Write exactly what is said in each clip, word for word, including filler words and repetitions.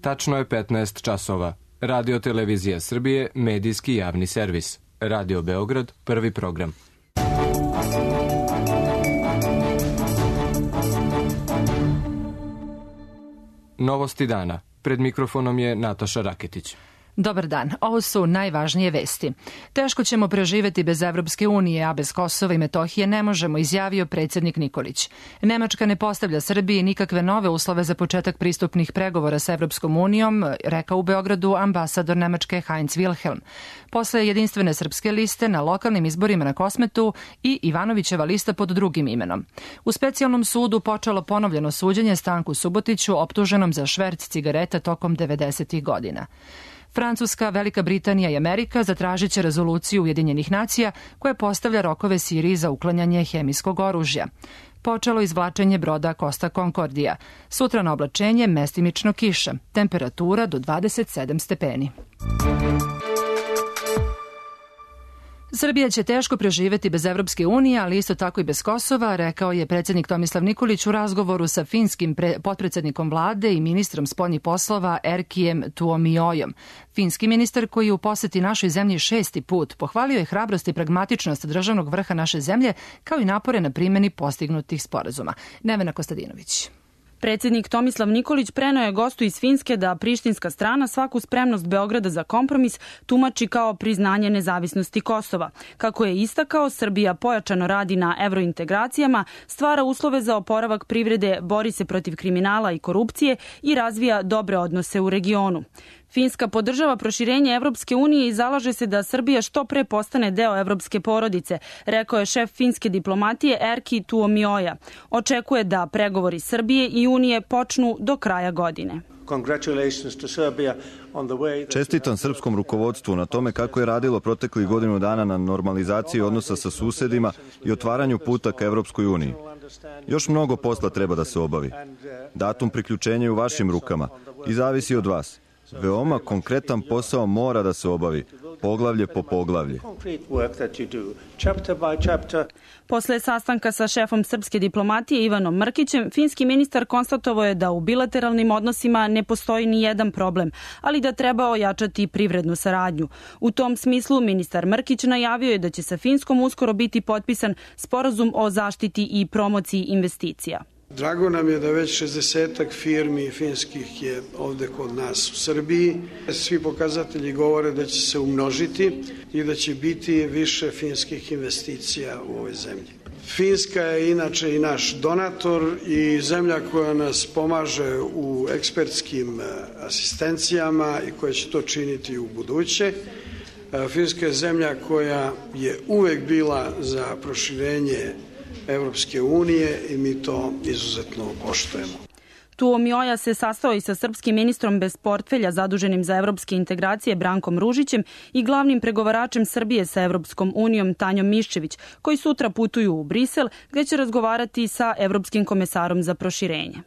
Tačno je petnaest časova. Radio Televizija Srbije, medijski javni servis. Radio Beograd, prvi program. Novosti dana. Pred mikrofonom je Nataša Raketić. Dobar dan, ovo su najvažnije vesti. Teško ćemo preživeti bez Evropske unije, a bez Kosova i Metohije ne možemo, izjavio predsjednik Nikolić. Nemačka ne postavlja Srbiji nikakve nove uslove za početak pristupnih pregovora sa Evropskom unijom, rekao u Beogradu ambasador Nemačke Heinz Wilhelm. Posle jedinstvene srpske liste na lokalnim izborima na Kosmetu i Ivanovićeva lista pod drugim imenom. U specijalnom sudu počelo ponovljeno suđenje Stanku Subotiću, optuženom za šverc cigareta tokom devedesetih godina. Francuska, Velika Britanija i Amerika zatražit će rezoluciju Ujedinjenih nacija koja postavlja rokove Siriji za uklanjanje hemijskog oružja. Počelo izvlačenje broda Costa Concordia. Sutra na oblačenje mestimično kiša. Temperatura do dvadeset sedam stepeni. Srbija će teško preživeti bez Evropske unije, ali isto tako i bez Kosova, rekao je predsjednik Tomislav Nikolić u razgovoru sa finskim potpredsjednikom vlade i ministrom spoljnih poslova Erkijem Tuomiojom. Finski ministar, koji je u poseti našoj zemlji šesti put, pohvalio je hrabrost i pragmatičnost državnog vrha naše zemlje, kao i napore na primjeni postignutih sporazuma. Nevena Kostadinović. Predsjednik Tomislav Nikolić preneo je gostu iz Finske da prištinska strana svaku spremnost Beograda za kompromis tumači kao priznanje nezavisnosti Kosova. Kako je istakao, Srbija pojačano radi na evrointegracijama, stvara uslove za oporavak privrede, bori se protiv kriminala i korupcije i razvija dobre odnose u regionu. Finska podržava proširenje Evropske unije i zalaže se da Srbija što pre postane deo evropske porodice, rekao je šef finske diplomatije Erki Tuomioja. Očekuje da pregovori Srbije i Unije počnu do kraja godine. Čestitam srpskom rukovodstvu na tome kako je radilo proteklih godinu dana na normalizaciji odnosa sa susedima i otvaranju puta ka Evropskoj uniji. Još mnogo posla treba da se obavi. Datum priključenja je u vašim rukama i zavisi od vas. Veoma konkretan posao mora da se obavi, poglavlje po poglavlje. Posle sastanka sa šefom srpske diplomatije Ivanom Mrkićem, finski ministar konstatovao je da u bilateralnim odnosima ne postoji ni jedan problem, ali da treba ojačati privrednu saradnju. U tom smislu ministar Mrkić najavio je da će sa Finskom uskoro biti potpisan sporazum o zaštiti i promociji investicija. Drago nam je da već šezdesetak firmi finskih je ovde kod nas u Srbiji. Svi pokazatelji govore da će se umnožiti i da će biti više finskih investicija u ovoj zemlji. Finska je inače i naš donator i zemlja koja nas pomaže u ekspertskim asistencijama i koja će to činiti u buduće. Finska je zemlja koja je uvek bila za proširenje Evropske unije i mi to izuzetno poštujemo. Tuomioja se sastao i sa srpskim ministrom bez portfelja zaduženim za evropske integracije Brankom Ružićem i glavnim pregovaračem Srbije sa Evropskom unijom Tanjom Miščević, koji sutra putuju u Brisel, gde će razgovarati sa evropskim komesarom za proširenje.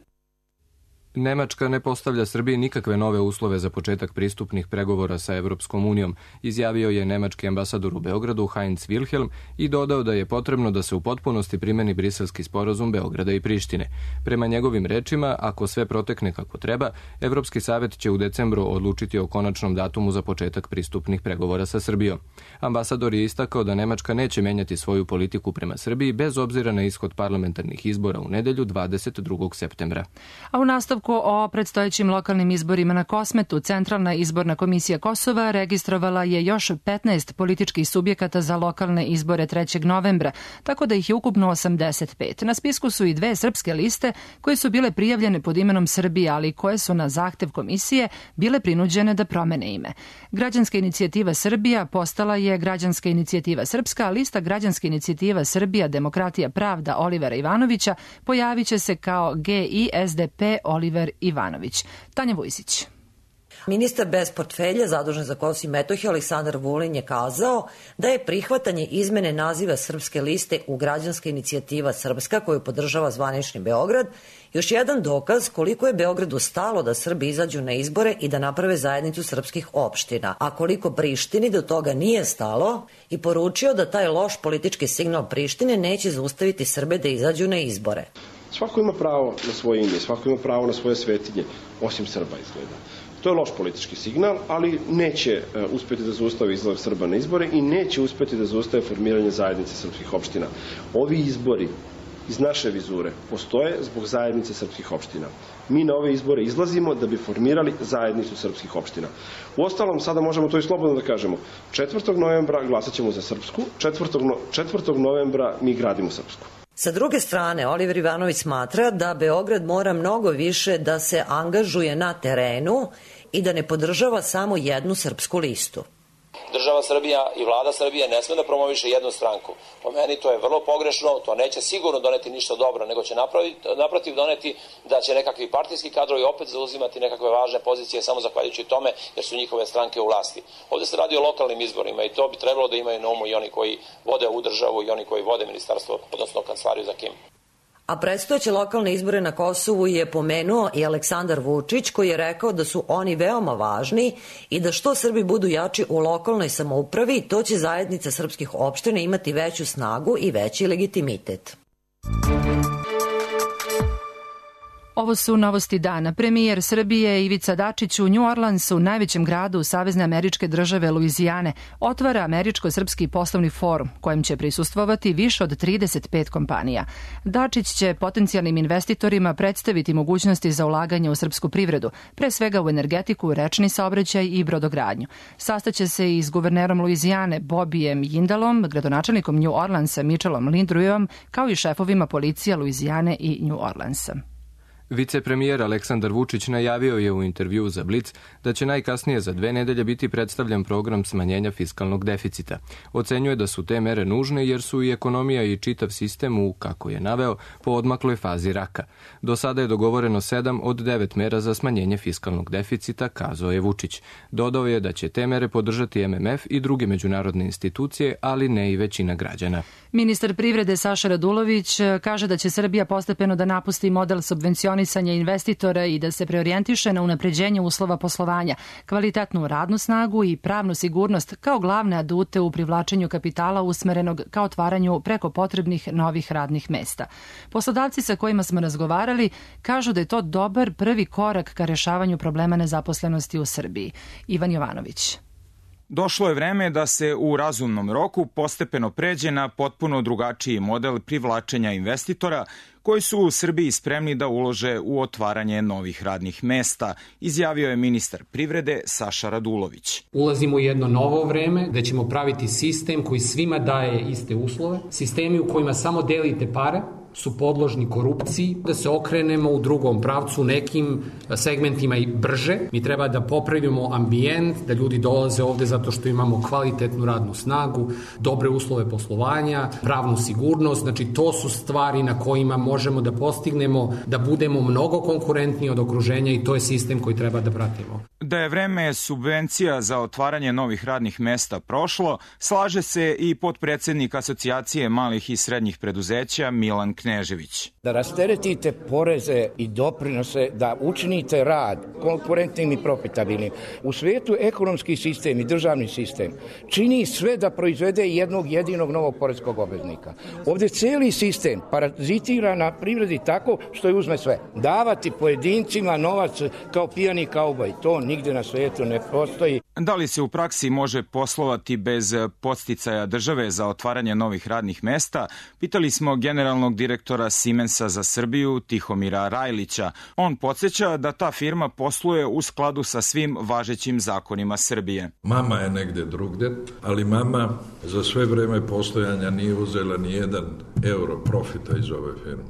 Nemačka ne postavlja Srbiji nikakve nove uslove za početak pristupnih pregovora sa Evropskom unijom, izjavio je nemački ambasador u Beogradu Heinz Wilhelm i dodao da je potrebno da se u potpunosti primeni briselski sporazum Beograda i Prištine. Prema njegovim rečima, ako sve protekne kako treba, Evropski savet će u decembru odlučiti o konačnom datumu za početak pristupnih pregovora sa Srbijom. Ambasador je istakao da Nemačka neće menjati svoju politiku prema Srbiji bez obzira na ishod parlamentarnih izbora u nedelju dvadeset drugog septembra. A u nastavku o predstojećim lokalnim izborima na Kosmetu, Centralna izborna komisija Kosova registrovala je još petnaest političkih subjekata za lokalne izbore trećeg novembra, tako da ih je ukupno osamdeset pet. Na spisku su i dve srpske liste koje su bile prijavljene pod imenom Srbije, ali koje su na zahtev komisije bile prinuđene da promene ime. Građanska inicijativa Srbija postala je Građanska inicijativa Srpska, a lista Građanska inicijativa Srbija, Demokratija, Pravda Olivera Ivanovića pojavit će se kao G I S D P Oliver Ivanović. Tanja Vujsić. Ministar bez portfelja zadužen za Kosovo i Metohiju Aleksandar Vulin je kazao da je prihvatanje izmene naziva srpske liste u Građanska inicijativa Srpska, koju podržava zvanični Beograd, još jedan dokaz koliko je Beogradu stalo da Srbi izađu na izbore i da naprave zajednicu srpskih opština, a koliko Prištini do toga nije stalo, i poručio da taj loš politički signal Prištine neće zaustaviti Srbe da izađu na izbore. Svako ima pravo na svoje ime, svako ima pravo na svoje svetinje, osim Srba izgleda. To je loš politički signal, ali neće uspjeti da zaustavi izlazak Srba na izbore i neće uspjeti da zaustave formiranje zajednice srpskih opština. Ovi izbori iz naše vizure postoje zbog zajednice srpskih opština. Mi na ove izbore izlazimo da bi formirali zajednicu srpskih opština. Uostalom, sada možemo to i slobodno da kažemo. četvrtog novembra glasat ćemo za Srpsku, četvrtog novembra mi gradimo Srpsku. Sa druge strane, Oliver Ivanović smatra da Beograd mora mnogo više da se angažuje na terenu i da ne podržava samo jednu srpsku listu. Država Srbija i vlada Srbije ne sme da promoviše jednu stranku. Po meni to je vrlo pogrešno, to neće sigurno doneti ništa dobro, nego će naprotiv doneti da će nekakvi partijski kadrovi opet zauzimati nekakve važne pozicije samo zahvaljujući tome jer su njihove stranke u vlasti. Ovde se radi o lokalnim izborima i to bi trebalo da imaju na umu i oni koji vode ovu državu i oni koji vode ministarstvo, odnosno kancelariju za Kim. A predstojeće lokalne izbore na Kosovu je pomenuo i Aleksandar Vučić, koji je rekao da su oni veoma važni i da što Srbi budu jači u lokalnoj samoupravi, to će zajednica srpskih opština imati veću snagu i veći legitimitet. Ovo su novosti dana. Premijer Srbije Ivica Dačić u New Orleansu, najvećem gradu Savezne američke države Luizijane, otvara Američko-srpski poslovni forum, kojem će prisustvovati više od trideset pet kompanija. Dačić će potencijalnim investitorima predstaviti mogućnosti za ulaganje u srpsku privredu, pre svega u energetiku, rečni saobraćaj i brodogradnju. Sastaće se i s guvernerom Luizijane Bobijem Jindalom, gradonačelnikom New Orleansa Mitchellom Lindrujom, kao i šefovima policija Luizijane i New Orleansa. Vicepremijer Aleksandar Vučić najavio je u intervjuu za Blic da će najkasnije za dve nedelje biti predstavljen program smanjenja fiskalnog deficita. Ocenjuje da su te mere nužne jer su i ekonomija i čitav sistem u, kako je naveo, po odmakloj fazi raka. Do sada je dogovoreno sedam od devet mera za smanjenje fiskalnog deficita, kazao je Vučić. Dodao je da će te mere podržati M M F i druge međunarodne institucije, ali ne i većina građana. Ministar privrede Saša Radulović kaže da će Srbija postepeno da napusti model subvencionisanja investitora i da se preorijentiše na unapređenje uslova poslovanja, kvalitetnu radnu snagu i pravnu sigurnost kao glavne adute u privlačenju kapitala usmerenog ka otvaranju preko potrebnih novih radnih mesta. Poslodavci sa kojima smo razgovarali kažu da je to dobar prvi korak ka rešavanju problema nezaposlenosti u Srbiji. Ivan Jovanović. Došlo je vreme da se u razumnom roku postepeno pređe na potpuno drugačiji model privlačenja investitora koji su u Srbiji spremni da ulože u otvaranje novih radnih mesta, izjavio je ministar privrede Saša Radulović. Ulazimo u jedno novo vreme gde ćemo praviti sistem koji svima daje iste uslove, sistemi u kojima samo delite pare, su podložni korupciji, da se okrenemo u drugom pravcu nekim segmentima i brže. Mi treba da popravimo ambijent, da ljudi dolaze ovde zato što imamo kvalitetnu radnu snagu, dobre uslove poslovanja, pravnu sigurnost, znači to su stvari na kojima možemo da postignemo da budemo mnogo konkurentniji od okruženja i to je sistem koji treba da pratimo. Da je vreme subvencija za otvaranje novih radnih mesta prošlo, slaže se i potpredsednik Asocijacije malih i srednjih preduzeća Milan Knežević. Da rasteretite poreze i doprinose, da učinite rad konkurentnim i profitabilnim. U svijetu ekonomski sistem i državni sistem čini sve da proizvede jednog jedinog novog poreskog obveznika. Ovdje cijeli sistem parazitira na privredi tako što je uzme sve. Davati pojedincima novac kao pijani kauboj, to nigde na svijetu ne postoji. Da li se u praksi može poslovati bez podsticaja države za otvaranje novih radnih mesta? Pitali smo generalnog direktora Siemensa za Srbiju Tihomira Rajlića. On podsjeća da ta firma posluje u skladu sa svim važećim zakonima Srbije. Mama je negde drugde, ali mama za sve vreme postojanja nije uzela ni jedan euro profita iz ove firme.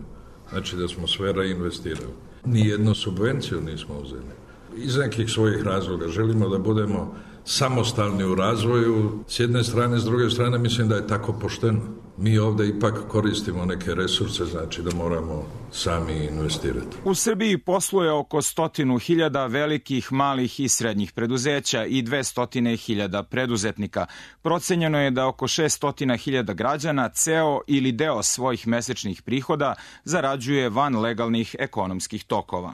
Znači da smo sve reinvestirali. Nijednu subvenciju nismo uzeli. Iz nekih svojih razloga želimo da budemo samostalni u razvoju. S jedne strane, s druge strane mislim da je tako pošteno. Mi ovde ipak koristimo neke resurse, znači da moramo sami investirati. U Srbiji posluje oko stotinu hiljada velikih, malih i srednjih preduzeća i dvestotine hiljada preduzetnika. Procenjeno je da oko šeststotina hiljada građana ceo ili deo svojih mesečnih prihoda zarađuje van legalnih ekonomskih tokova.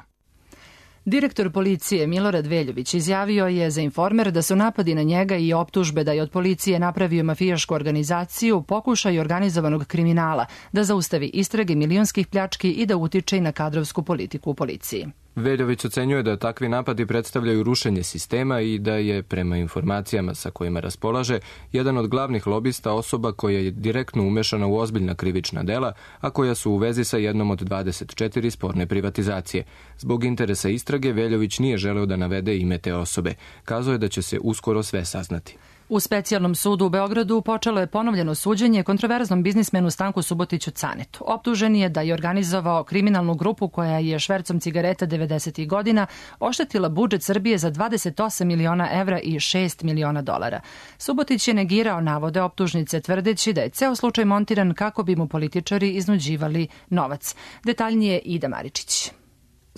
Direktor policije Milorad Veljović izjavio je za Informer da su napadi na njega i optužbe da je od policije napravio mafijašku organizaciju pokušaj organizovanog kriminala, da zaustavi istrage milionskih pljački i da utiče i na kadrovsku politiku u policiji. Veljović ocenjuje da takvi napadi predstavljaju rušenje sistema i da je, prema informacijama sa kojima raspolaže, jedan od glavnih lobista osoba koja je direktno umešana u ozbiljna krivična dela, a koja su u vezi sa jednom od dvadeset četiri sporne privatizacije. Zbog interesa istrage, Veljović nije želeo da navede ime te osobe. Kazao je da će se uskoro sve saznati. U specijalnom sudu u Beogradu počelo je ponovljeno suđenje kontroverznom biznismenu Stanku Subotiću Canetu. Optužen je da je organizovao kriminalnu grupu koja je švercom cigareta devedesetih godina oštetila budžet Srbije za dvadeset osam miliona evra i šest miliona dolara. Subotić je negirao navode optužnice tvrdeći da je ceo slučaj montiran kako bi mu političari iznuđivali novac. Detaljnije Ida Maričić.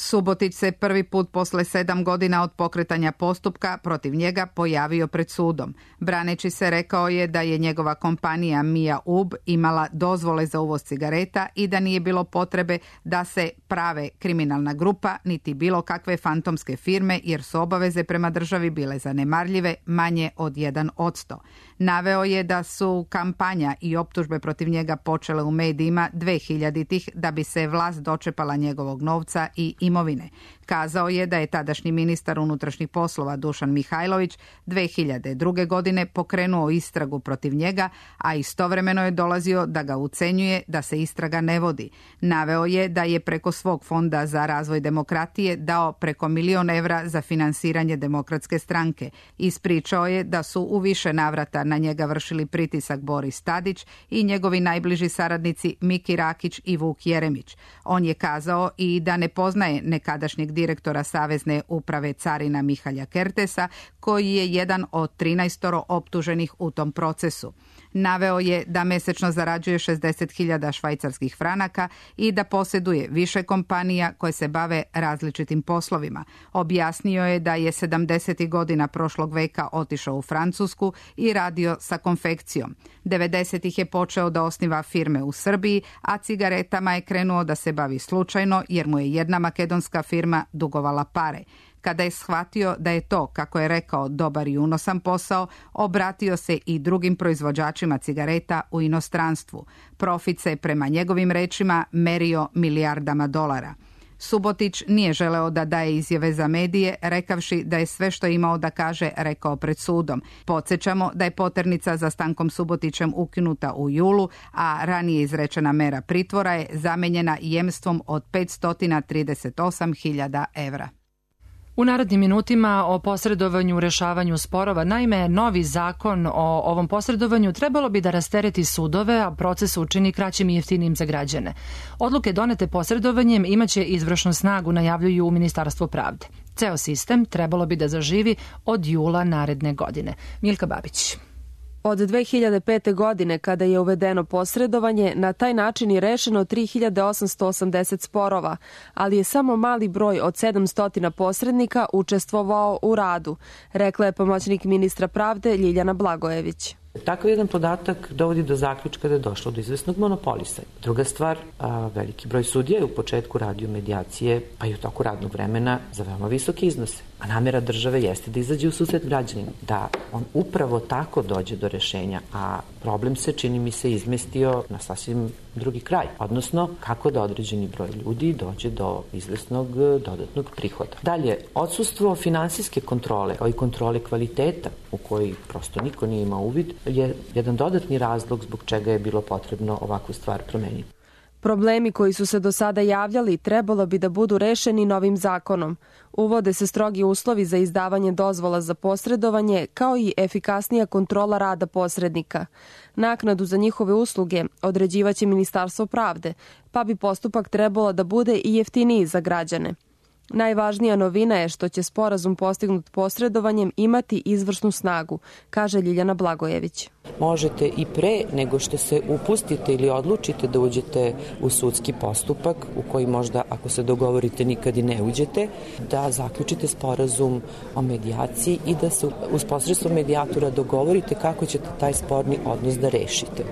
Subotić se prvi put posle sedam godina od pokretanja postupka protiv njega pojavio pred sudom. Braneći se rekao je da je njegova kompanija Mia Ub imala dozvole za uvoz cigareta i da nije bilo potrebe da se prave kriminalna grupa niti bilo kakve fantomske firme jer su obaveze prema državi bile zanemarljive, manje od jedan odsto. Naveo je da su kampanja i optužbe protiv njega počele u medijima dvehiljaditih da bi se vlast dočepala njegovog novca i imovine. Kazao je da je tadašnji ministar unutrašnjih poslova Dušan Mihajlović dve hiljade druge. godine pokrenuo istragu protiv njega, a istovremeno je dolazio da ga ucenjuje da se istraga ne vodi. Naveo je da je preko svog fonda za razvoj demokratije dao preko milion evra za finansiranje Demokratske stranke. Ispričao je da su u više navrata na njega vršili pritisak Boris Tadić i njegovi najbliži saradnici Miki Rakić i Vuk Jeremić. On je kazao i da ne poznaje nekadašnjeg direktora Savezne uprave carina Mihalja Kertesa, koji je jedan od trinaestoro optuženih u tom procesu. Naveo je da mesečno zarađuje šezdeset hiljada švajcarskih franaka i da posjeduje više kompanija koje se bave različitim poslovima. Objasnio je da je sedamdesetih godina prošlog veka otišao u Francusku i radio sa konfekcijom. devedesetih je počeo da osniva firme u Srbiji, a cigaretama je krenuo da se bavi slučajno jer mu je jedna makedonska firma dugovala pare. Kada je shvatio da je to, kako je rekao, dobar i unosan posao, obratio se i drugim proizvođačima cigareta u inostranstvu. Profit se, prema njegovim rečima, merio milijardama dolara. Subotić nije želeo da daje izjave za medije, rekavši da je sve što je imao da kaže rekao pred sudom. Podsjećamo da je poternica za Stankom Subotićem ukinuta u julu, a ranije izrečena mera pritvora je zamenjena jemstvom od petsto trideset osam hiljada evra. U narednim minutima o posredovanju u rešavanju sporova. Naime, novi zakon o ovom posredovanju trebalo bi da rastereti sudove, a proces učini kraćim i jeftinijim za građane. Odluke donete posredovanjem imaće izvršnu snagu, najavljuju u Ministarstvu pravde. Ceo sistem trebalo bi da zaživi od jula naredne godine. Milka Babić. Od dve hiljade pete. godine, kada je uvedeno posredovanje, na taj način je rešeno tri hiljade osamsto osamdeset sporova, ali je samo mali broj od sedamsto posrednika učestvovao u radu, rekla je pomoćnik ministra pravde Ljiljana Blagojević. Takav jedan podatak dovodi do zaključka da je došlo do izvesnog monopolisa. Druga stvar, a, veliki broj sudija je u početku radio medijacije, pa i u toku radnog vremena za veoma visoke iznose. A namera države jeste da izađe u susret građanima, da on upravo tako dođe do rešenja, a problem se, čini mi se, izmestio na sasvim drugi kraj, odnosno kako da određeni broj ljudi dođe do izvesnog dodatnog prihoda. Dalje, odsustvo finansijske kontrole, kao i kontrole kvaliteta, u koji prosto niko nije imao uvid, je jedan dodatni razlog zbog čega je bilo potrebno ovakvu stvar promeniti. Problemi koji su se do sada javljali trebalo bi da budu rešeni novim zakonom. Uvode se strogi uslovi za izdavanje dozvola za posredovanje, kao i efikasnija kontrola rada posrednika. Naknadu za njihove usluge određivaće Ministarstvo pravde, pa bi postupak trebalo da bude i jeftiniji za građane. Najvažnija novina je što će sporazum postignut posredovanjem imati izvršnu snagu, kaže Ljiljana Blagojević. Možete i pre nego što se upustite ili odlučite da uđete u sudski postupak, u koji možda, ako se dogovorite, nikad i ne uđete, da zaključite sporazum o medijaciji i da se uz posredstvo medijatora dogovorite kako ćete taj sporni odnos da rešite.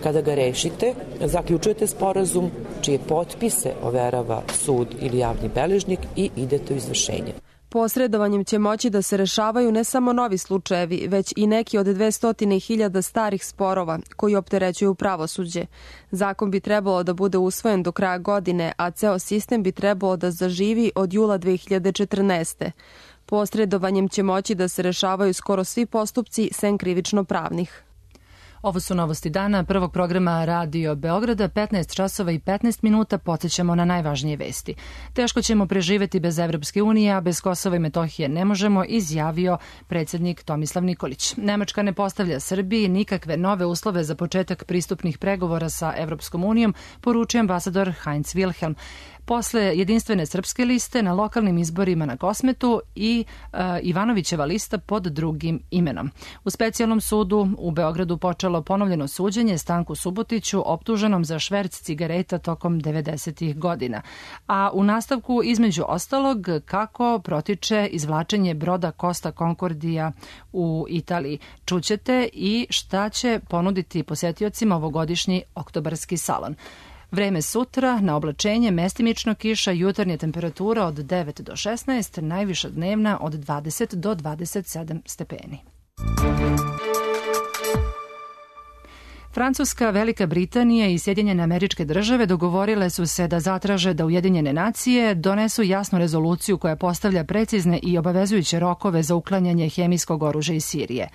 Kada ga rešite, zaključujete sporazum čije potpise overava sud ili javni beležnik i idete u izvršenje. Posredovanjem će moći da se rešavaju ne samo novi slučajevi, već i neki od dvesta hiljada starih sporova koji opterećuju pravosuđe. Zakon bi trebalo da bude usvojen do kraja godine, a ceo sistem bi trebalo da zaživi od jula dve hiljade četrnaeste. Posredovanjem će moći da se rešavaju skoro svi postupci sem krivično pravnih. Ovo su novosti dana prvog programa Radio Beograda, petnaest časova i petnaest minuta, podsjećamo na najvažnije vesti. Teško ćemo preživeti bez Evropske unije, a bez Kosova i Metohije ne možemo, izjavio predsjednik Tomislav Nikolić. Nemačka ne postavlja Srbiji nikakve nove uslove za početak pristupnih pregovora sa Evropskom unijom, poručio ambasador Heinz Wilhelm. Posle jedinstvene srpske liste na lokalnim izborima na Kosmetu i uh, Ivanovićeva lista pod drugim imenom. U specijalnom sudu u Beogradu počelo ponovljeno suđenje Stanku Subotiću, optuženom za šverc cigareta tokom devedesetih godina. A u nastavku, između ostalog, kako protiče izvlačenje broda Costa Concordia u Italiji. Čućete i šta će ponuditi posetiocima ovogodišnji oktobarski salon. Vreme sutra, na oblačenje, mestimično kiša, jutarnja temperatura od devet do šesnaest, najviša dnevna od dvadeset do dvadeset sedam stepeni. Francuska, Velika Britanija i Sjedinjene Američke Države dogovorile su se da zatraže da Ujedinjene nacije donesu jasnu rezoluciju koja postavlja precizne i obavezujuće rokove za uklanjanje hemijskog oružja iz Sirije.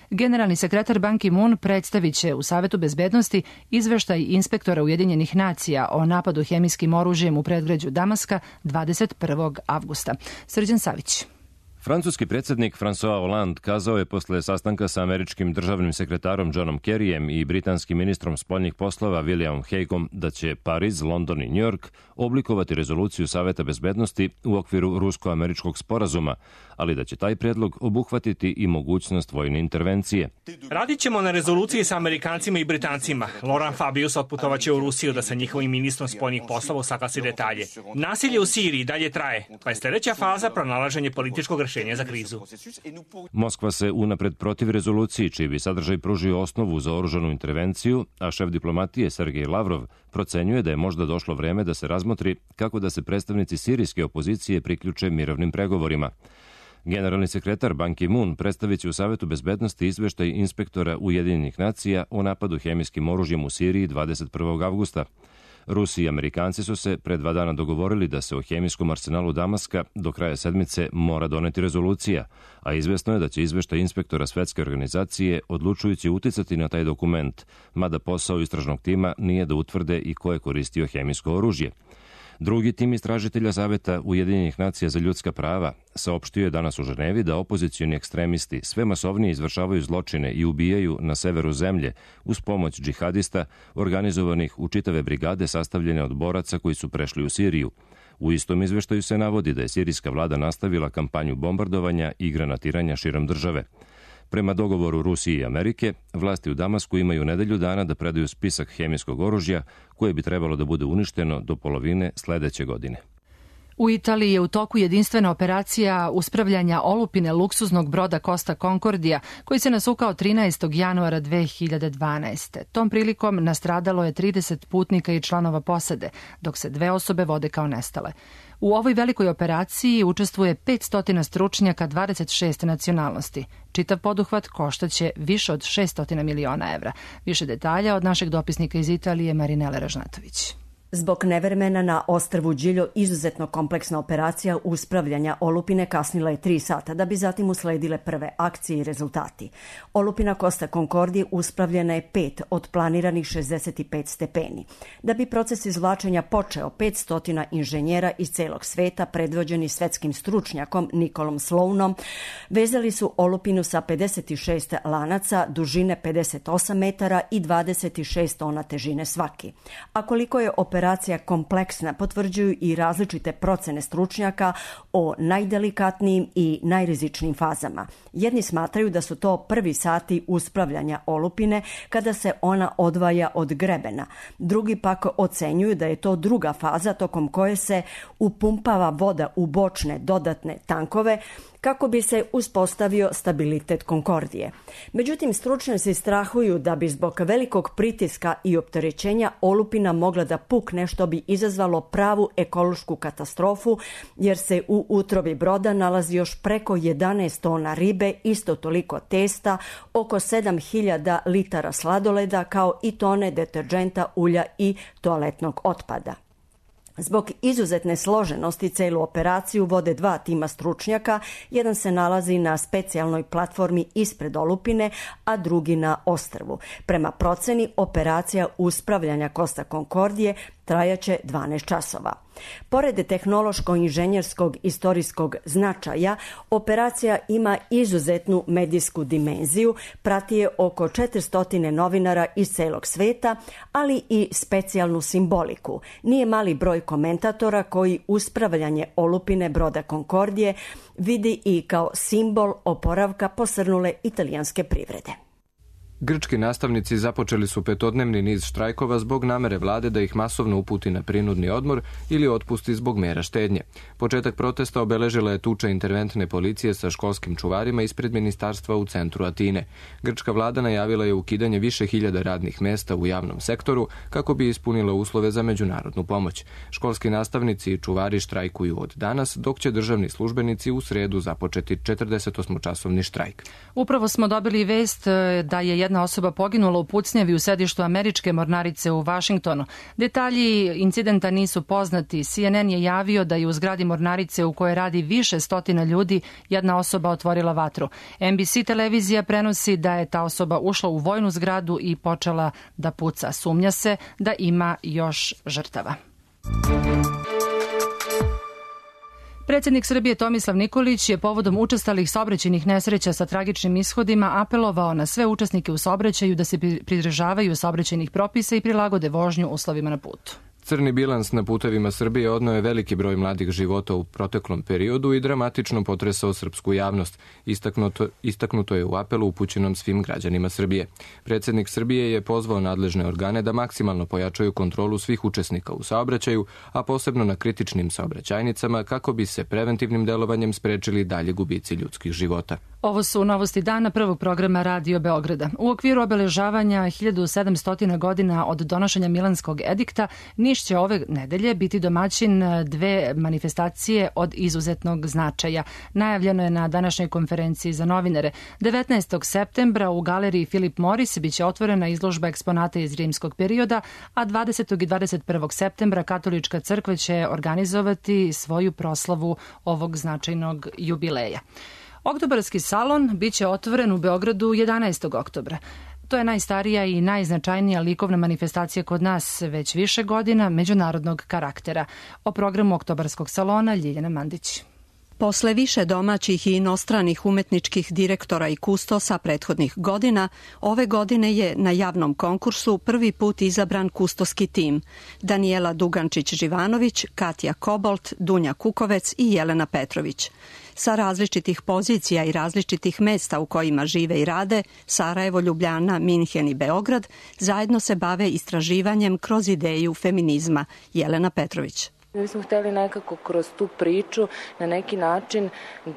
Generalni sekretar Ban Ki-moon predstavit će u Savetu bezbednosti izveštaj inspektora Ujedinjenih nacija o napadu hemijskim oružjem u predgrađu Damaska dvadeset prvog avgusta. Srđan Savić. Francuski predsjednik François Hollande kazao je posle sastanka sa američkim državnim sekretarom Johnom Kerryjem i britanskim ministrom spoljnih poslova Williamom Hagueom da će Pariz, London i New York oblikovati rezoluciju Saveta bezbednosti u okviru rusko-američkog sporazuma, ali da će taj predlog obuhvatiti i mogućnost vojne intervencije. Radit ćemo na rezoluciji sa Amerikancima i Britancima. Laurent Fabius otputovaće u Rusiju da sa njihovim ministrom spoljnih poslova usaglasi detalje. Nasilje u Siriji dalje traje, pa je sljedeća faza pronalaženje političkog rešenja za krizu. Moskva se unapred protiv rezoluciji, čiji bi sadržaj pružio osnovu za oružanu intervenciju, a šef diplomatije Sergej Lavrov procenjuje da je možda došlo vreme da se razmotri kako da se predstavnici sirijske opozicije priključe mirovnim pregovorima. Generalni sekretar Ban Ki-moon predstavit će u Savetu bezbednosti izveštaj inspektora Ujedinjenih nacija o napadu hemijskim oružjem u Siriji dvadeset prvog avgusta. Rusi i Amerikanci su se pre dva dana dogovorili da se o hemijskom arsenalu Damaska do kraja sedmice mora doneti rezolucija, a izvesno je da će izveštaj inspektora Svetske organizacije odlučujući uticati na taj dokument, mada posao istražnog tima nije da utvrde i ko je koristio hemijsko oružje. Drugi tim istražitelja Saveta Ujedinjenih nacija za ljudska prava saopštio je danas u Ženevi da opozicioni ekstremisti sve masovnije izvršavaju zločine i ubijaju na severu zemlje uz pomoć džihadista organizovanih u čitave brigade sastavljene od boraca koji su prešli u Siriju. U istom izveštaju se navodi da je sirijska vlada nastavila kampanju bombardovanja i granatiranja širom države. Prema dogovoru Rusije i Amerike, vlasti u Damasku imaju nedelju dana da predaju spisak hemijskog oružja koje bi trebalo da bude uništeno do polovine sledeće godine. U Italiji je u toku jedinstvena operacija uspravljanja olupine luksuznog broda Costa Concordia, koji se nasukao trinaestog januara dve hiljade dvanaeste. Tom prilikom nastradalo je trideset putnika i članova posade, dok se dve osobe vode kao nestale. U ovoj velikoj operaciji učestvuje petsto stručnjaka dvadeset šest nacionalnosti. Čitav poduhvat koštaće više od šesto miliona evra. Više detalja od našeg dopisnika iz Italije Marinele Ražnatović. Zbog nevremena na ostrvu Điljo izuzetno kompleksna operacija uspravljanja olupine kasnila je tri sata, da bi zatim usledile prve akcije i rezultati. Olupina Costa Concordia uspravljena je pet od planiranih šezdeset pet stepeni. Da bi proces izvlačenja počeo, petsto inženjera iz celog sveta, predvođeni svetskim stručnjakom Nikolom Slounom, vezali su olupinu sa pedeset šest lanaca, dužine pedeset osam metara i dvadeset šest tona težine svaki. A koliko je operacija Operacija kompleksna potvrđuju i različite procene stručnjaka o najdelikatnijim i najrizičnijim fazama. Jedni smatraju da su to prvi sati uspravljanja olupine kada se ona odvaja od grebena. Drugi pak ocenjuju da je to druga faza tokom koje se upumpava voda u bočne dodatne tankove kako bi se uspostavio stabilitet Konkordije. Međutim, stručnjaci strahuju da bi zbog velikog pritiska i opterećenja olupina mogla da pukne, što bi izazvalo pravu ekološku katastrofu, jer se u utrobi broda nalazi još preko jedanaest tona ribe, isto toliko testa, oko sedam hiljada litara sladoleda, kao i tone deterdženta, ulja i toaletnog otpada. Zbog izuzetne složenosti celu operaciju vode dva tima stručnjaka, jedan se nalazi na specijalnoj platformi ispred olupine, a drugi na ostrvu. Prema proceni, operacija uspravljanja Costa Concordije trajaće dvanaest časova. Pored tehnološko-inženjerskog istorijskog značaja, operacija ima izuzetnu medijsku dimenziju, prati je oko četiristo novinara iz celog sveta, ali i specijalnu simboliku. Nije mali broj komentatora koji uspravljanje olupine broda Concordije vidi i kao simbol oporavka posrnule italijanske privrede. Grčki nastavnici započeli su petodnevni niz štrajkova zbog namere vlade da ih masovno uputi na prinudni odmor ili otpusti zbog mera štednje. Početak protesta obeležila je tuča interventne policije sa školskim čuvarima ispred ministarstva u centru Atine. Grčka vlada najavila je ukidanje više hiljada radnih mesta u javnom sektoru kako bi ispunila uslove za međunarodnu pomoć. Školski nastavnici i čuvari štrajkuju od danas, dok će državni službenici u sredu započeti četrdesetosmočasovni štrajk. Upravo smo dobili vest da je jedna Jedna osoba poginula u pucnjavi u sedištu američke mornarice u Vašingtonu. Detalji incidenta nisu poznati. C N N je javio da je u zgradi mornarice u kojoj radi više stotina ljudi jedna osoba otvorila vatru. N B C televizija prenosi da je ta osoba ušla u vojnu zgradu i počela da puca. Sumnja se da ima još žrtava. Predsjednik Srbije Tomislav Nikolić je povodom učestalih saobraćajnih nesreća sa tragičnim ishodima apelovao na sve učesnike u saobraćaju da se pridržavaju saobraćajnih propisa i prilagode vožnju uslovima na putu. Crni bilans na putevima Srbije odneo je veliki broj mladih života u proteklom periodu i dramatično potresao srpsku javnost. Istaknuto, istaknuto je u apelu upućenom svim građanima Srbije. Predsjednik Srbije je pozvao nadležne organe da maksimalno pojačaju kontrolu svih učesnika u saobraćaju, a posebno na kritičnim saobraćajnicama, kako bi se preventivnim delovanjem sprečili dalje gubici ljudskih života. Ovo su novosti dana prvog programa Radio Beograda. U okviru obeležavanja hiljadu sedamsto godina od donošenja Milanskog edikta, Niš će ove nedelje biti domaćin dve manifestacije od izuzetnog značaja. Najavljeno je na današnjoj konferenciji za novinare. devetnaestog septembra u galeriji Filip Moris biće otvorena izložba eksponata iz rimskog perioda, a dvadesetog i dvadeset prvog septembra Katolička crkva će organizovati svoju proslavu ovog značajnog jubileja. Oktobarski salon biće otvoren u Beogradu jedanaestog oktobra. To je najstarija i najznačajnija likovna manifestacija kod nas već više godina međunarodnog karaktera. O programu Oktobarskog salona Ljiljana Mandić. Posle više domaćih i inostranih umetničkih direktora i kustosa prethodnih godina, ove godine je na javnom konkursu prvi put izabran kustoski tim. Danijela Dugančić-Živanović, Katja Kobolt, Dunja Kukovec i Jelena Petrović. Sa različitih pozicija i različitih mesta u kojima žive i rade, Sarajevo, Ljubljana, Minhen i Beograd, zajedno se bave istraživanjem kroz ideju feminizma. Jelena Petrović. Mi smo hteli nekako kroz tu priču na neki način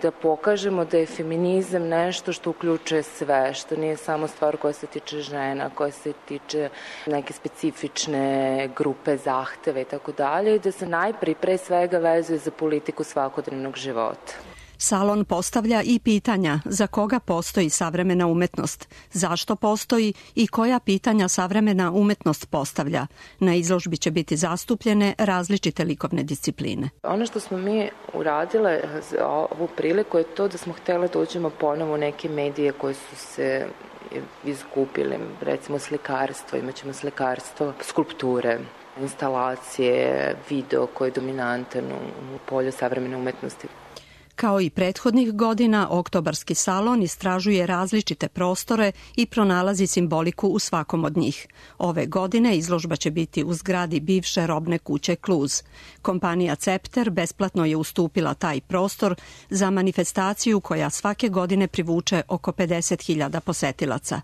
da pokažemo da je feminizam nešto što uključuje sve, što nije samo stvar koja se tiče žena, koja se tiče neke specifične grupe zahteve i tako dalje, i da se najprije pre svega vezuje za politiku svakodnevnog života. Salon postavlja i pitanja za koga postoji savremena umetnost, zašto postoji i koja pitanja savremena umetnost postavlja. Na izložbi će biti zastupljene različite likovne discipline. Ono što smo mi uradile za ovu priliku je to da smo htjeli da uđemo ponovo u neke medije koje su se izgubile, recimo slikarstvo, imat ćemo slikarstvo, skulpture, instalacije, video koji je dominantan u polju savremene umetnosti. Kao i prethodnih godina, Oktobarski salon istražuje različite prostore i pronalazi simboliku u svakom od njih. Ove godine izložba će biti u zgradi bivše robne kuće Kluz. Kompanija Cepter besplatno je ustupila taj prostor za manifestaciju koja svake godine privuče oko pedeset hiljada posetilaca.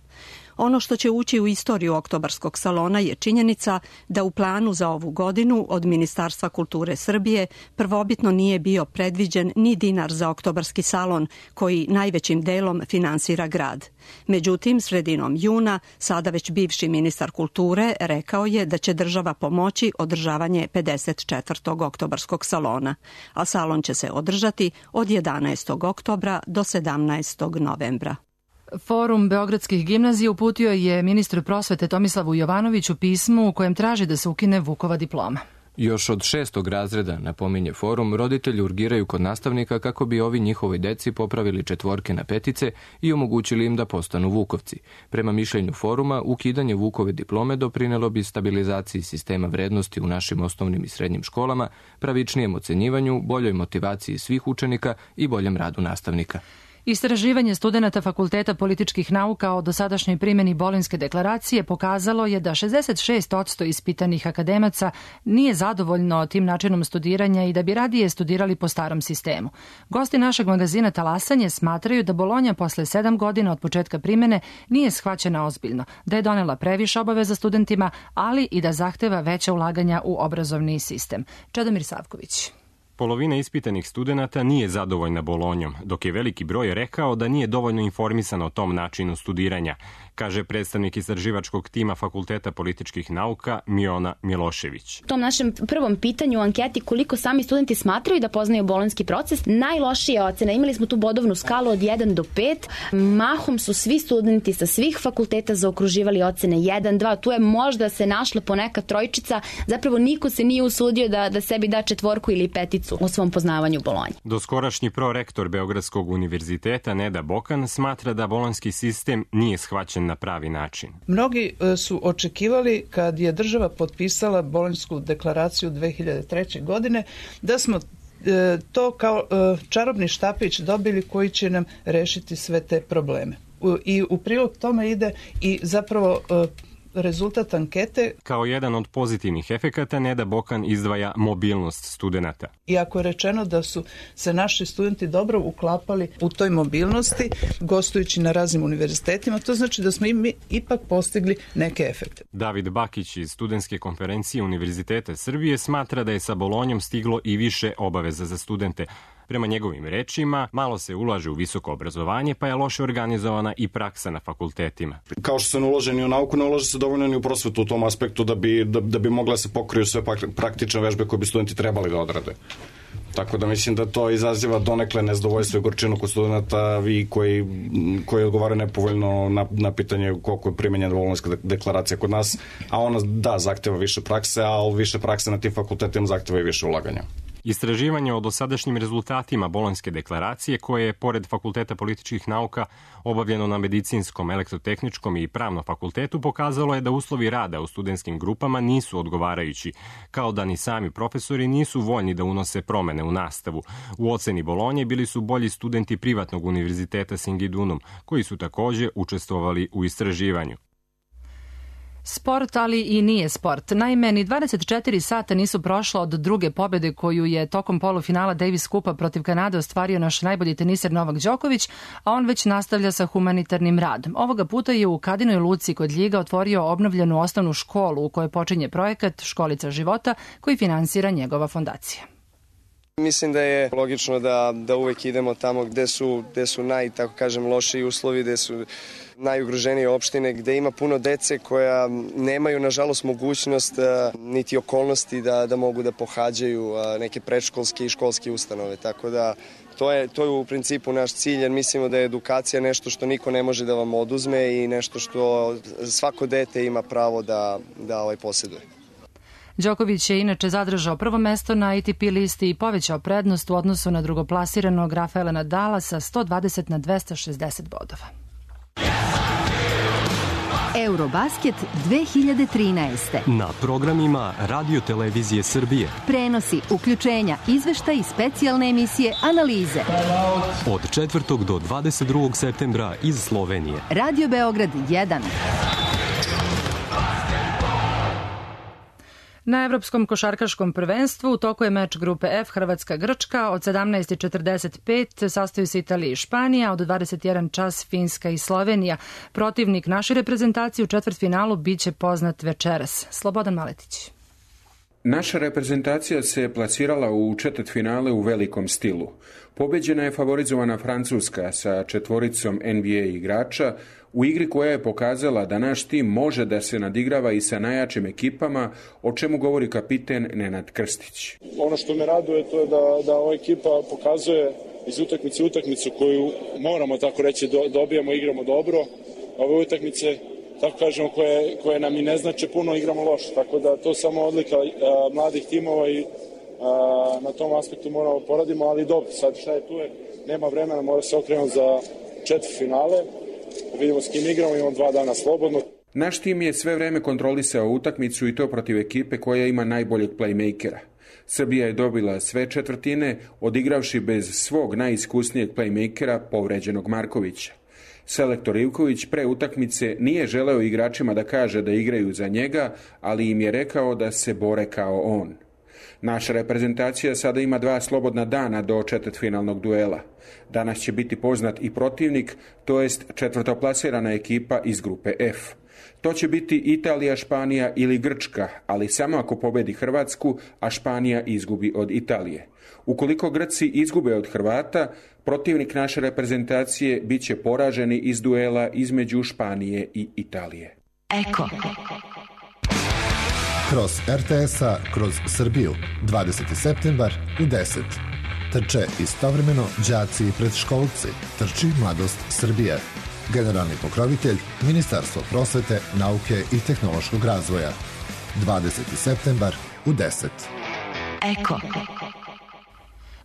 Ono što će ući u istoriju oktobarskog salona je činjenica da u planu za ovu godinu od Ministarstva kulture Srbije prvobitno nije bio predviđen ni dinar za oktobarski salon, koji najvećim delom finansira grad. Međutim, sredinom juna, sada već bivši ministar kulture rekao je da će država pomoći održavanje pedeset četvrtog oktobarskog salona, a salon će se održati od jedanaestog oktobra do sedamnaestog novembra. Forum beogradskih gimnazija uputio je ministru prosvete Tomislavu Jovanoviću pismo u kojem traži da se ukine Vukova diploma. Još od šestog razreda, napominje forum, roditelji urgiraju kod nastavnika kako bi ovi njihovoj deci popravili četvorke na petice i omogućili im da postanu Vukovci. Prema mišljenju foruma, ukidanje Vukove diplome doprinelo bi stabilizaciji sistema vrednosti u našim osnovnim i srednjim školama, pravičnijem ocenjivanju, boljoj motivaciji svih učenika i boljem radu nastavnika. Istraživanje studenata Fakulteta političkih nauka o dosadašnjoj primjeni Bolonjske deklaracije pokazalo je da šezdeset šest posto ispitanih akademaca nije zadovoljno tim načinom studiranja i da bi radije studirali po starom sistemu. Gosti našeg magazina Talasanje smatraju da Bolonja posle sedam godina od početka primjene nije shvaćena ozbiljno, da je donela previše obaveza studentima, ali i da zahteva veća ulaganja u obrazovni sistem. Čedomir Savković. Polovina ispitanih studenata nije zadovoljna Bolonjom, dok je veliki broj rekao da nije dovoljno informisan o tom načinu studiranja, kaže predstavnik istraživačkog tima Fakulteta političkih nauka Miona Milošević. U tom našem prvom pitanju u anketi koliko sami studenti smatraju da poznaju bolonjski proces, najlošija ocena, imali smo tu bodovnu skalu od jedan do pet, mahom su svi studenti sa svih fakulteta zaokruživali ocene jedan, dva, tu je možda se našla poneka trojčica, zapravo niko se nije usudio da, da sebi da četvorku ili peticu u svom poznavanju Bolonje. Doskorašnji prorektor Beogradskog univerziteta Neda Bokan smatra da bolonjski sistem nije shvaćen na pravi način. Mnogi su očekivali kad je država potpisala Bolonjsku deklaraciju dve hiljade treće. godine da smo to kao čarobni štapić dobili koji će nam rešiti sve te probleme. I u prilog tome ide i zapravo rezultat ankete. Kao jedan od pozitivnih efekata Neda Bokan izdvaja mobilnost studenata. Iako je rečeno da su se naši studenti dobro uklapali u toj mobilnosti, gostujući na raznim univerzitetima, to znači da smo i mi ipak postigli neke efekte. David Bakić iz Studentske konferencije Univerziteta Srbije smatra da je sa Bolonjom stiglo i više obaveza za studente. Prema njegovim rečima, malo se ulaže u visoko obrazovanje, pa je loše organizovana i praksa na fakultetima. Kao što se ne ulaže ni u nauku, ne ulaže se dovoljno ni u prosvetu u tom aspektu da bi, da, da bi mogla se pokriju sve praktične vežbe koje bi studenti trebali da odrade. Tako da mislim da to izaziva donekle nezadovoljstvo i gorčinu kod studenta vi koji, koji odgovaraju nepovoljno na, na pitanje koliko je primenjena Bolonjska deklaracija kod nas, a ona da zahteva više prakse, a više prakse na tim fakultetima zahteva i više ulaganja. Istraživanje o dosadašnjim rezultatima Bolonjske deklaracije, koje je, pored Fakulteta političkih nauka, obavljeno na Medicinskom, Elektrotehničkom i Pravnom fakultetu, pokazalo je da uslovi rada u studentskim grupama nisu odgovarajući, kao da ni sami profesori nisu voljni da unose promene u nastavu. U oceni Bolonje bili su bolji studenti privatnog univerziteta Singidunum, koji su takođe učestvovali u istraživanju. Sport, ali i nije sport. Naime, ni dvadeset četiri sata nisu prošla od druge pobjede koju je tokom polufinala Davis Kupa protiv Kanade ostvario naš najbolji teniser Novak Đoković, a on već nastavlja sa humanitarnim radom. Ovoga puta je u Kadinoj Luci kod Ljiga otvorio obnovljenu osnovnu školu u kojoj počinje projekat Školica života koji finansira njegova fondacija. Mislim da je logično da, da uvek idemo tamo gde su, gde su naj, tako kažem, lošiji uslovi, gde su najugroženije opštine, gde ima puno dece koja nemaju, nažalost, mogućnost niti okolnosti da, da mogu da pohađaju neke predškolske i školske ustanove. Tako da to je, to je u principu naš cilj, jer mislimo da je edukacija nešto što niko ne može da vam oduzme i nešto što svako dete ima pravo da, da ovaj posjeduje. Đoković je inače zadržao prvo mesto na A T P listi i povećao prednost u odnosu na drugoplasiranog Rafaela Nadala sa sto dvadeset na dvesta šezdeset bodova. Eurobasket dve hiljade trinaeste. Na programima Radio Televizije Srbije. Prenosi, uključenja, izveštaj i specijalne emisije, analize. Od četvrtog do dvadeset drugog septembra iz Slovenije. Radio Beograd jedan. Na Evropskom košarkaškom prvenstvu u toku je meč grupe F Hrvatska-Grčka. Od sedamnaest i četrdeset pet sastoju se Italija i Španija, od dvadeset jedan čas Finska i Slovenija. Protivnik naše reprezentacije u četvrtfinalu biće poznat večeras. Slobodan Maletić. Naša reprezentacija se plasirala u četvrtfinale u velikom stilu. Pobeđena je favorizovana Francuska sa četvoricom N B A igrača u igri koja je pokazala da naš tim može da se nadigrava i sa najjačim ekipama, o čemu govori kapiten Nenad Krstić. Ono što me raduje to je da, da ova ekipa pokazuje iz utakmice utakmicu koju moramo tako reći do, dobijamo, igramo dobro. Ove utakmice, tako kažemo, koje, koje nam i ne znače puno, igramo loše. Tako da to samo odlika a, mladih timova i a, na tom aspektu moramo poradimo, ali dobro, sad šta je tu je, nema vremena, mora se okrenuti za četvrtfinale. Vidimo s kim igramo, imamo dva dana slobodno. Naš tim je sve vreme kontrolisao utakmicu i to protiv ekipe koja ima najboljeg playmakera. Srbija je dobila sve četvrtine, odigravši bez svog najiskusnijeg playmakera, povređenog Markovića. Selektor Ivković pre utakmice nije želeo igračima da kaže da igraju za njega, ali im je rekao da se bore kao on. Naša reprezentacija sada ima dva slobodna dana do četvrtfinalnog duela. Danas će biti poznat i protivnik, to jest četvrtoplasirana ekipa iz grupe F. To će biti Italija, Španija ili Grčka, ali samo ako pobedi Hrvatsku, a Španija izgubi od Italije. Ukoliko Grci izgube od Hrvata, protivnik naše reprezentacije bit će poraženi iz duela između Španije i Italije. Eko. Kroz R T S-a, kroz Srbiju, dvadeseti septembar u deset. Trče istovremeno đaci i predškolci. Trči Mladost Srbije. Generalni pokrovitelj Ministarstvo prosvete, nauke i tehnološkog razvoja. dvadeseti septembar u deset. Eko.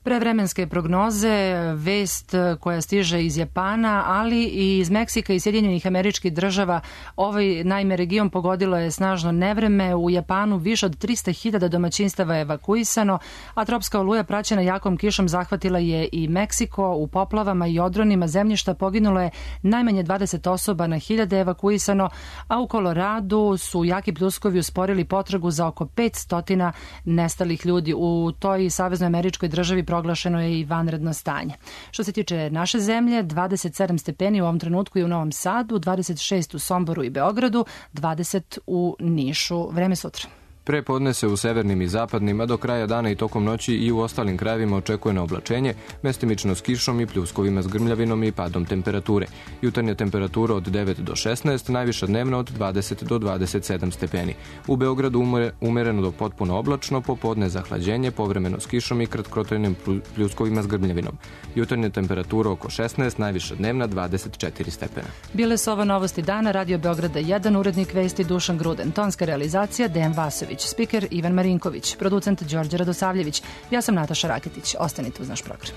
Prevremenske prognoze, vest koja stiže iz Japana, ali i iz Meksika i Sjedinjenih Američkih Država. Ovaj, naime, region pogodilo je snažno nevreme. U Japanu više od trista hiljada domaćinstava je evakuisano, a tropska oluja praćena jakom kišom zahvatila je i Meksiko. U poplavama i odronima zemljišta poginulo je najmanje dvadeset osoba, na hiljade evakuisano, a u Koloradu su jaki pljuskovi usporili potragu za oko petsto nestalih ljudi. U toj Saveznoj Američkoj Državi proglašeno je i vanredno stanje. Što se tiče naše zemlje, dvadeset sedam stepeni u ovom trenutku je u Novom Sadu, dvadeset šest u Somboru i Beogradu, dvadeset u Nišu. Vreme sutra. Pre podne se u severnim i zapadnim, a do kraja dana i tokom noći i u ostalim krajevima očekuje na oblačenje, mestimično s kišom i pljuskovima s grmljavinom i padom temperature. Jutarnja temperatura od devet do šesnaest, najviša dnevna od dvadeset do dvadeset sedam stepeni. U Beogradu umereno do potpuno oblačno, popodne zahlađenje, povremeno s kišom i kratkotrajnim pljuskovima s grmljavinom. Jutarnja temperatura oko šesnaest, najviša dnevna dvadeset četiri stepena. Bile su ovo novosti dana, Radio Beograda jedan, urednik vesti Dušan Gruden, tonska realizacija Dejan Vasović, spiker Ivan Marinković, producent Đorđe Radosavljević. Ja sam Nataša Raketić. Ostanite uz naš program.